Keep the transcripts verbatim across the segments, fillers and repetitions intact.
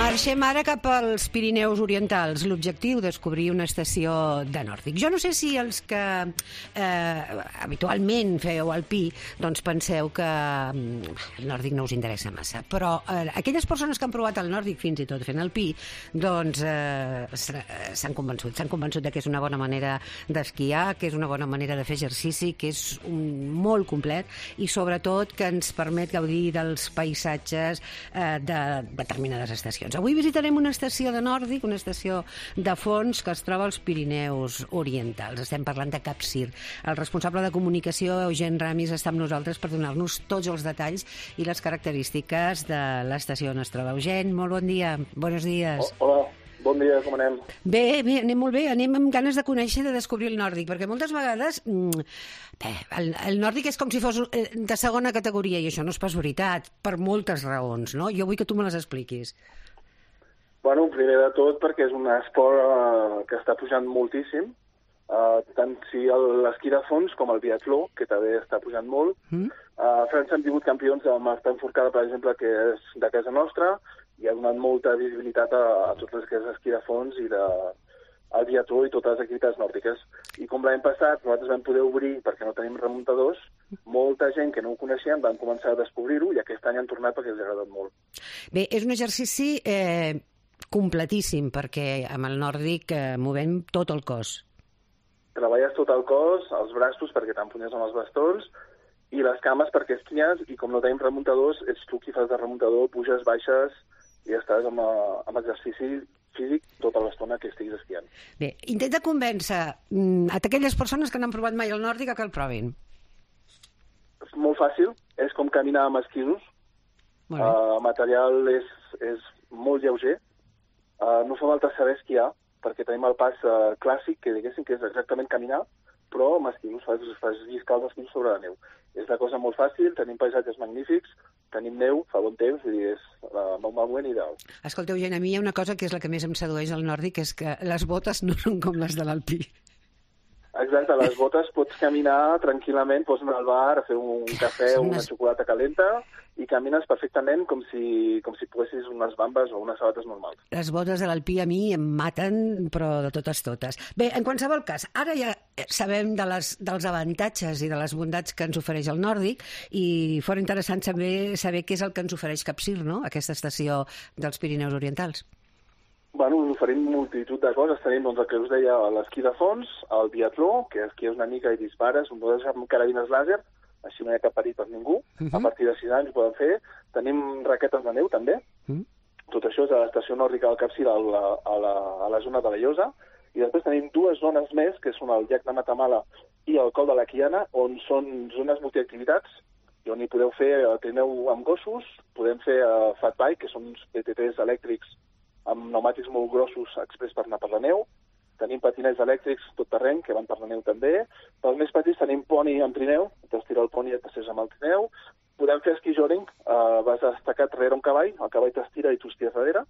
Marxem ara cap als Pirineus Orientals. L'objectiu, descobrir una estació de nòrdic. Jo no sé si els que eh, habitualment feu alpí doncs penseu que el nòrdic no us interessa massa, però eh, aquelles persones que han provat el nòrdic fins i tot fent alpí, doncs eh, s'han convençut. S'han convençut de que és una bona manera d'esquiar, que és una bona manera de fer exercici, que és un, molt complet i sobretot que ens permet gaudir dels paisatges eh, de determinades estacions. Avui visitarem una estació de nòrdic, una estació de fons que es troba als Pirineus Orientals. Estem parlant de Capcir. El responsable de comunicació, Eugen Ramis, està amb nosaltres per donar-nos tots els detalls i les característiques de l'estació on es troba. Eugen, molt bon dia. Buenos días. Oh, hola. Bon dia, com anem? Bé, bé, anem molt bé. Anem amb ganes de conèixer, de descobrir el nòrdic, perquè moltes vegades bé, el, el nòrdic és com si fos de segona categoria, i això no és pas veritat, per moltes raons, no? Jo vull que tu me les expliquis. Bueno, primer de tot perquè és un esport uh, que està pujant moltíssim, uh, tant si l'esquí de fons com el biatló, que també està pujant molt. Mm. Uh, a França hem tingut campions amb Martin Fourcade, per exemple, que és de casa nostra, i ha donat molta visibilitat a, a tot el que és esquí de fons i de, el biatló i totes les activitats nòrdiques. I com l'any passat nosaltres vam poder obrir, perquè no tenim remuntadors, molta gent que no ho coneixien van començar a descobrir-ho i aquest any han tornat perquè els ha agradat molt. Bé, és un exercici eh, completíssim, perquè amb el nòrdic eh, movem tot el cos. Treballes tot el cos, els braços perquè t'empunyes amb els bastons, i les cames perquè esquies, i com no tenim remuntadors, ets tu qui fas de remuntador, puges, baixes, i estàs amb, amb exercici físic tota l'estona que estiguis esquiant. Bé, intenta convèncer mm, a aquelles persones que no han provat mai el nòrdic a que el provin. És molt fàcil, és com caminar amb esquisos. El uh, material és, és molt lleuger. Uh, no fa falta saber esquiar, perquè tenim el pas uh, clàssic, que diguéssim que és exactament caminar, però amb esquisos, fas, fas lliscar els esquisos sobre la neu. És una cosa molt fàcil, tenim paisatges magnífics, tenim neu, fa bon temps, i és uh, un moment ideal. Escolta, Eugen, a mi hi ha una cosa que és la que més em sedueix al nòrdic, és que les botes no són com les de l'alpí. Exacte, les botes pots caminar tranquil·lament, pots anar al bar a fer un cafè o una xocolata calenta i camines perfectament com si, com si poguessis unes bambes o unes sabates normals. Les botes de l'alpí a mi em maten, però de totes totes. Bé, en qualsevol cas, ara ja sabem de les, dels avantatges i de les bondats que ens ofereix el nòrdic i fora interessant saber, saber què és el que ens ofereix Capcir, no?, aquesta estació dels Pirineus Orientals. Bueno, us oferim multitud de coses. Tenim, doncs, el que us deia, l'esquí de fons, el biatló, que esquies una mica i dispares, un podes amb carabines làser, així no hi ha cap perill per ningú. Uh -huh. A partir de sis anys ho poden fer. Tenim raquetes de neu, també. Uh -huh. Tot això és a l'estació nòrdica del Capcir, a la, a, la, a la zona de la Llosa. I després tenim dues zones més, que són el llac de Matamala i el Col de la Quiana, on són zones multiactivitats, i on hi podeu fer el trineu amb gossos, podem fer uh, fat bike, que són uns B T Ts elèctrics amb pneumàtics molt grossos express per anar per la neu. Tenim patinets elèctrics tot terreny, que van per la neu també. Pels més petits tenim poni amb trineu, t'estira el poni i et passeges amb el trineu. Podem fer esquí joring, uh, vas destacat darrere un cavall, el cavall t'estira i tu estires darrere,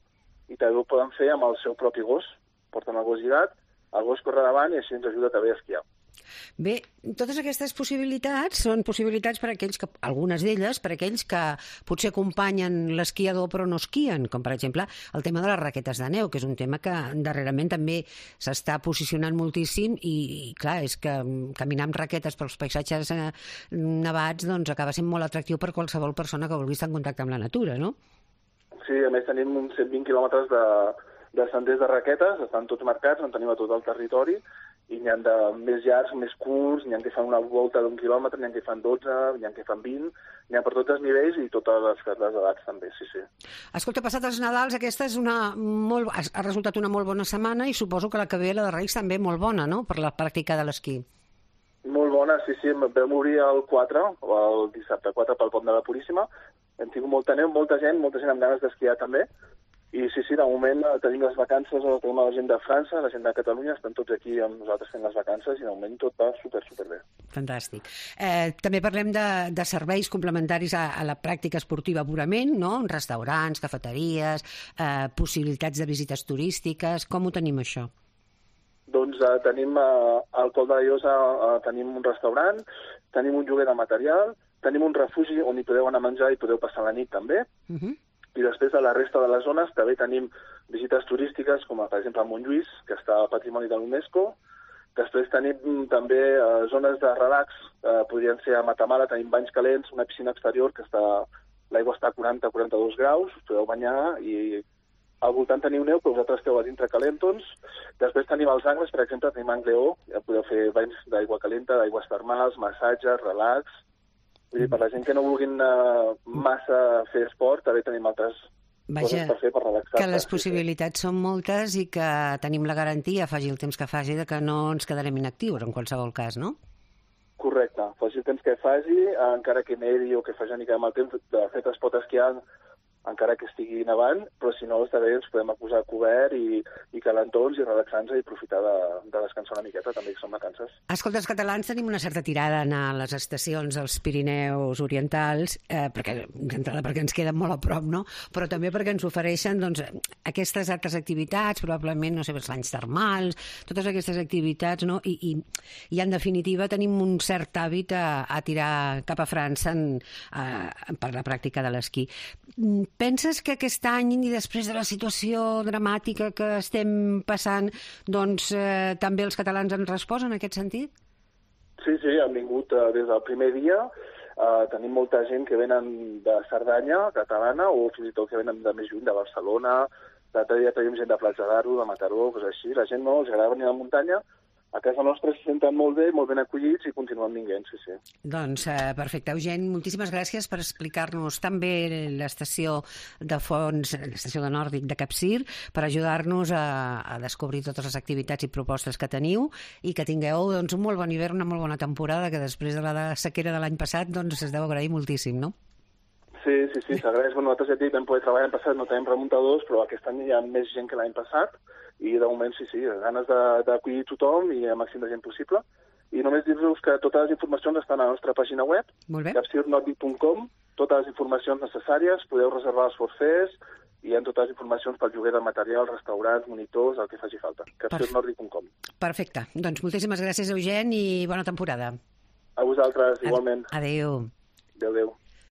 i també ho poden fer amb el seu propi gos. Porten el gos lligat, el gos corre davant i així ens ajuda també a esquiar. Bé, totes aquestes possibilitats són possibilitats per a aquells que, algunes d'elles, per a aquells que potser acompanyen l'esquiador però no esquien, com per exemple el tema de les raquetes de neu, que és un tema que darrerament també s'està posicionant moltíssim i, i clar, és que caminar amb raquetes pels paisatges eh, nevats doncs acaba sent molt atractiu per qualsevol persona que vulgui estar en contacte amb la natura, no? Sí, a més tenim uns cent vint quilòmetres de, de senders de raquetes, estan tots marcats, en tenim a tot el territori, i n'hi ha de més llargs, més curts, n'hi ha que fan una volta d'un quilòmetre, n'hi ha que fan dotze, n'hi ha que fan vint, n'hi ha per tots els nivells i totes les, les edats també, sí, sí. Escolta, passat els Nadals, aquesta és una molt, ha resultat una molt bona setmana i suposo que la que ve, la de Reis, també molt bona, no?, per la pràctica de l'esquí. Molt bona, sí, sí, vam obrir el quatre, o el dissabte quatre pel Pont de la Puríssima, hem tingut molta neu, molta gent, molta gent amb ganes d'esquiar també. I sí, sí, de moment tenim les vacances, tenim la gent de França, la gent de Catalunya, estan tots aquí amb nosaltres fent les vacances i de moment tot va super, super bé. Fantàstic. Eh, també parlem de, de serveis complementaris a, a la pràctica esportiva purament, no? Restaurants, cafeteries, eh, possibilitats de visites turístiques. Com ho tenim, això? Doncs eh, tenim eh, al Col de la Llosa, eh, tenim un restaurant, tenim un lloguer de material, tenim un refugi on hi podeu anar a menjar i podeu passar la nit també. Uh-huh. I després de la resta de les zones també tenim visites turístiques, com per exemple a Montlluís, que està a Patrimoni de l'UNESCO. Després tenim també eh, zones de relax, eh, podrien ser a Matamala, tenim banys calents, una piscina exterior que està, l'aigua està a quaranta a quaranta-dos graus, us podeu banyar, i al voltant teniu neu, però vosaltres esteu a dintre calentons. Després tenim els angles, per exemple, tenim Angleó, ja podeu fer banys d'aigua calenta, d'aigües termals, massatges, relax. Vull dir, per la gent que no vulguin uh, massa fer esport, també tenim altres Vaja, coses per fer per relaxar-se. Que les possibilitats sí, són moltes i que tenim la garantia, faci el temps que faci, de que no ens quedarem inactius, en qualsevol cas, no? Correcte. Faci el temps que faci, encara que nedi o que faci una mica amb el temps, de fet es pot esquiar encara que estigui nevant, però si no, està bé, ens podem acusar cobert i, i calentons i relaxar-nos i aprofitar de, de descansar una miqueta, també que som vacances. Escolta, els catalans tenim una certa tirada a anar a les estacions dels Pirineus Orientals, eh, perquè, d'entrada perquè ens queden molt a prop, no? Però també perquè ens ofereixen doncs, aquestes altres activitats, probablement, no sé, els banys termals, totes aquestes activitats, no? I, i, i en definitiva tenim un cert hàbit a, a tirar cap a França en, a, per la pràctica de l'esquí. Penses que aquest any, i després de la situació dramàtica que estem passant, doncs eh, també els catalans han respost en aquest sentit? Sí, sí, han vingut eh, des del primer dia. Eh, tenim molta gent que venen de Cerdanya, catalana, o fins i tot que venen de més lluny, de Barcelona. L'altre dia tenim gent de Platja d'Aro, de Mataró, coses així. La gent no, els agrada venir a la muntanya. A casa nostra se senten molt bé, molt ben acollits i continuen vinguent, sí, sí. Doncs eh, perfecte. Eugeni, moltíssimes gràcies per explicar-nos tan bé l'estació de fons, l'estació de Nòrdic de Capcir, per ajudar-nos a, a descobrir totes les activitats i propostes que teniu i que tingueu doncs, un molt bon hivern, una molt bona temporada, que després de la sequera de l'any passat doncs, es deu agrair moltíssim, no? Sí, sí, sí, s'agraeix. Bueno, nosaltres ja dic, vam poder treballar l'any passat, no tenim remuntadors, però aquest any hi ha més gent que l'any passat, i de moment sí, sí, ganes d'acollir tothom i el màxim de gent possible. I només dir-vos que totes les informacions estan a la nostra pàgina web, capcir nordic punt com, totes les informacions necessàries, podeu reservar els forfers, i hi ha totes les informacions pel lloguer de material, restaurants, monitors, el que faci falta. capcir nordic punt com. Perfecte. Doncs moltíssimes gràcies, Eugeni, i bona temporada. A vosaltres, igualment. Adéu. Adéu, adéu.